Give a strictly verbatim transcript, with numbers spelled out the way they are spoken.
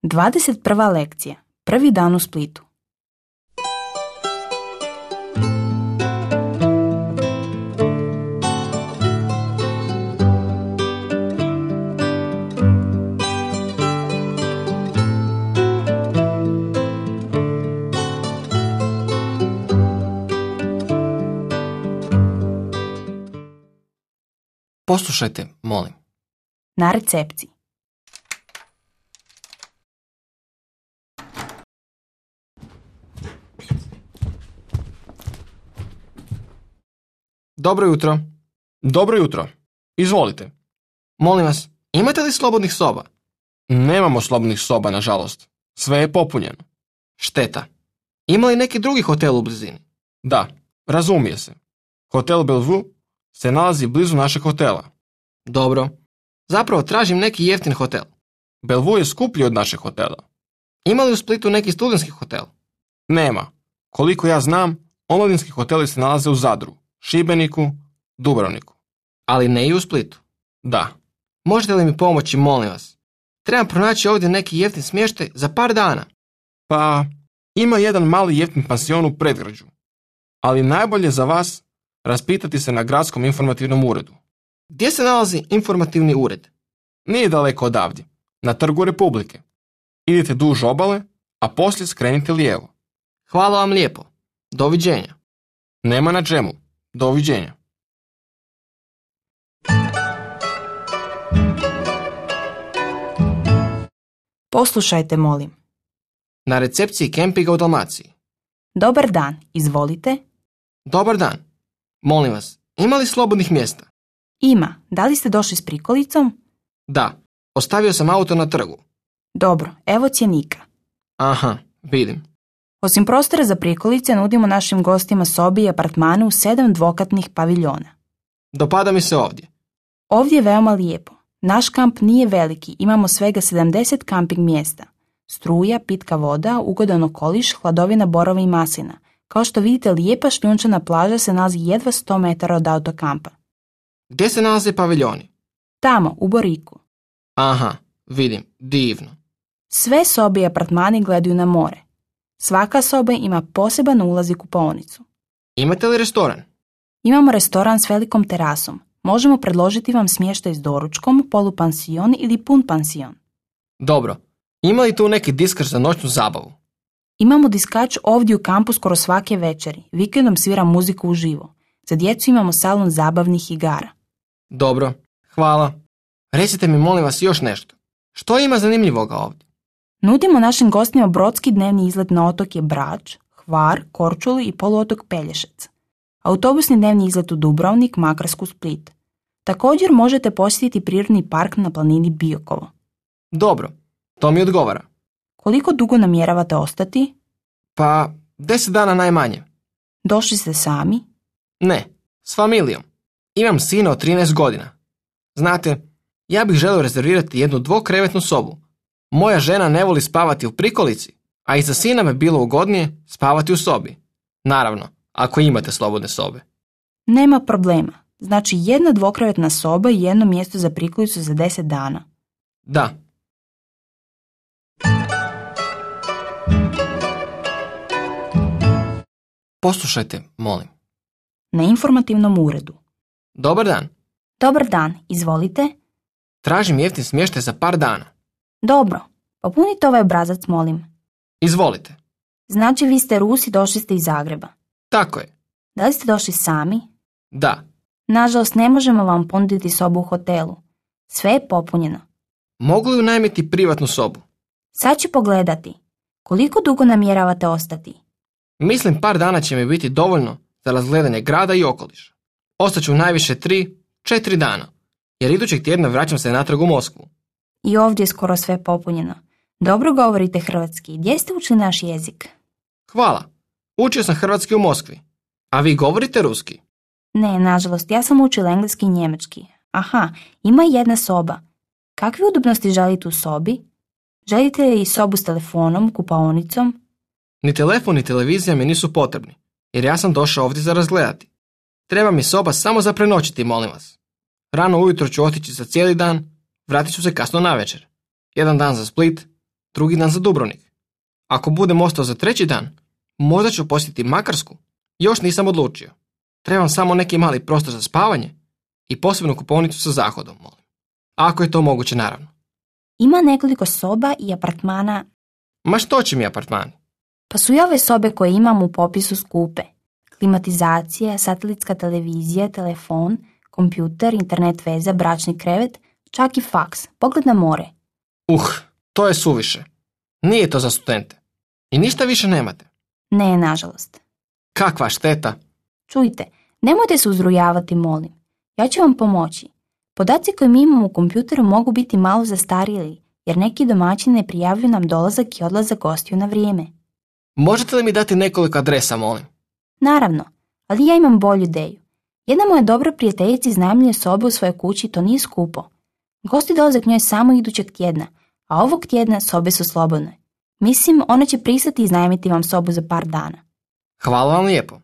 dvadeset prva lekcija. Prvi dan u Splitu. Poslušajte, molim. Na recepciji. Dobro jutro. Dobro jutro. Izvolite. Molim vas, imate li slobodnih soba? Nemamo slobodnih soba, nažalost. Sve je popunjeno. Šteta. Ima li neki drugi hotel u blizini? Da, razumije se. Hotel Bellevue se nalazi blizu našeg hotela. Dobro. Zapravo tražim neki jeftin hotel. Bellevue je skuplji od našeg hotela. Ima li u Splitu neki studentski hotel? Nema. Koliko ja znam, omladinski hoteli se nalaze u Zadru, Šibeniku, Dubrovniku. Ali ne i u Splitu? Da. Možete li mi pomoći, molim vas? Trebam pronaći ovdje neki jeftin smještaj za par dana. Pa, ima jedan mali jeftin pansion u predgrađu. Ali najbolje za vas raspitati se na gradskom informativnom uredu. Gdje se nalazi informativni ured? Nije daleko odavdje, na Trgu Republike. Idite duž obale, a poslije skrenite lijevo. Hvala vam lijepo. Doviđenja. Nema na čemu. Doviđenja. Poslušajte, molim. Na recepciji kempinga u Dalmaciji. Dobar dan, izvolite. Dobar dan. Molim vas, ima li slobodnih mjesta? Ima. Da li ste došli s prikolicom? Da. Ostavio sam auto na trgu. Dobro, evo cjenika. Aha, vidim. Osim prostora za prikolice, nudimo našim gostima sobi i apartmane u sedam dvokatnih paviljona. Dopada mi se ovdje. Ovdje je veoma lijepo. Naš kamp nije veliki, imamo svega sedamdeset kamping mjesta. Struja, pitka voda, ugodan okoliš, hladovina borova i maslina. Kao što vidite, lijepa šljunčana plaža se nalazi jedva sto metara od autokampa. Gdje se nalaze paviljoni? Tamo, u Boriku. Aha, vidim, divno. Sve sobe i apartmani gledaju na more. Svaka soba ima poseban ulaz i kupaonicu. Imate li restoran? Imamo restoran s velikom terasom. Možemo predložiti vam smještaj s doručkom, polupansion ili pun pansion. Dobro. Ima li tu neki diskar za noćnu zabavu? Imamo diskač ovdje u kampu skoro svake večeri. Vikendom svira muziku uživo. Za djecu imamo salon zabavnih igara. Dobro, hvala. Recite mi, molim vas, još nešto. Što ima zanimljivoga ovdje? Nudimo našim gostima brodski dnevni izlet na otoke Brač, Hvar, Korčulu i poluotok Pelješac. Autobusni dnevni izlet u Dubrovnik, Makarsku, Split. Također možete posjetiti prirodni park na planini Biokovo. Dobro, to mi odgovara. Koliko dugo namjeravate ostati? Pa, deset dana najmanje. Došli ste sami? Ne, s familijom. Imam sina od trinaest godina. Znate, ja bih želio rezervirati jednu dvokrevetnu sobu. Moja žena ne voli spavati u prikolici, a i za sina me bilo ugodnije spavati u sobi. Naravno, ako imate slobodne sobe. Nema problema. Znači jedna dvokrevetna soba i jedno mjesto za prikolicu za deset dana. Da. Poslušajte, molim. Na informativnom uredu. Dobar dan. Dobar dan, izvolite. Tražim jeftin smještaj za par dana. Dobro, popunite ovaj obrazac, molim. Izvolite. Znači vi ste Rus i došli ste iz Zagreba. Tako je. Da li ste došli sami? Da. Nažalost, ne možemo vam ponuditi sobu u hotelu. Sve je popunjeno. Mogu li unajmiti privatnu sobu? Sad ću pogledati. Koliko dugo namjeravate ostati? Mislim par dana će mi biti dovoljno za razgledanje grada i okoliša. Ostaću najviše tri, četiri dana, jer idućeg tjedna vraćam se natrag u Moskvu. I ovdje je skoro sve popunjeno. Dobro govorite hrvatski. Gdje ste učili naš jezik? Hvala. Učio sam hrvatski u Moskvi. A vi govorite ruski? Ne, nažalost, ja sam učila engleski i njemački. Aha, ima jedna soba. Kakve udobnosti želite u sobi? Želite li sobu s telefonom, kupaonicom? Ni telefon ni televizija mi nisu potrebni, jer ja sam došao ovdje za razgledati. Treba mi soba samo za prenoćiti, molim vas. Rano ujutro ću otići za cijeli dan, vratit ću se kasno navečer. Jedan dan za Split, drugi dan za Dubrovnik. Ako budem ostao za treći dan, možda ću posjetiti Makarsku. Još nisam odlučio. Trebam samo neki mali prostor za spavanje i posebnu kupovnicu sa zahodom, molim. Ako je to moguće, naravno. Ima nekoliko soba i apartmana. Ma što će mi apartmani? Pa su i ove sobe koje imam u popisu skupe. Klimatizacija, satelitska televizija, telefon, kompjuter, internet veza, bračni krevet, čak i faks, pogled na more. Uh, to je suviše. Nije to za studente. I ništa više nemate. Ne, nažalost. Kakva šteta. Čujte, nemojte se uzrujavati, molim. Ja ću vam pomoći. Podaci koje mi imamo u kompjuteru mogu biti malo zastarjeli, jer neki domaćini ne prijavljuju nam dolazak i odlazak gostiju na vrijeme. Možete li mi dati nekoliko adresa, molim? Naravno, ali ja imam bolju ideju. Jedna moja dobra prijateljica iznajmljuje sobe u svojoj kući i to nije skupo. Gosti dolaze k njoj samo idućeg tjedna, a ovog tjedna sobe su slobodne. Mislim, ona će pristati iznajmiti vam sobu za par dana. Hvala vam lijepo.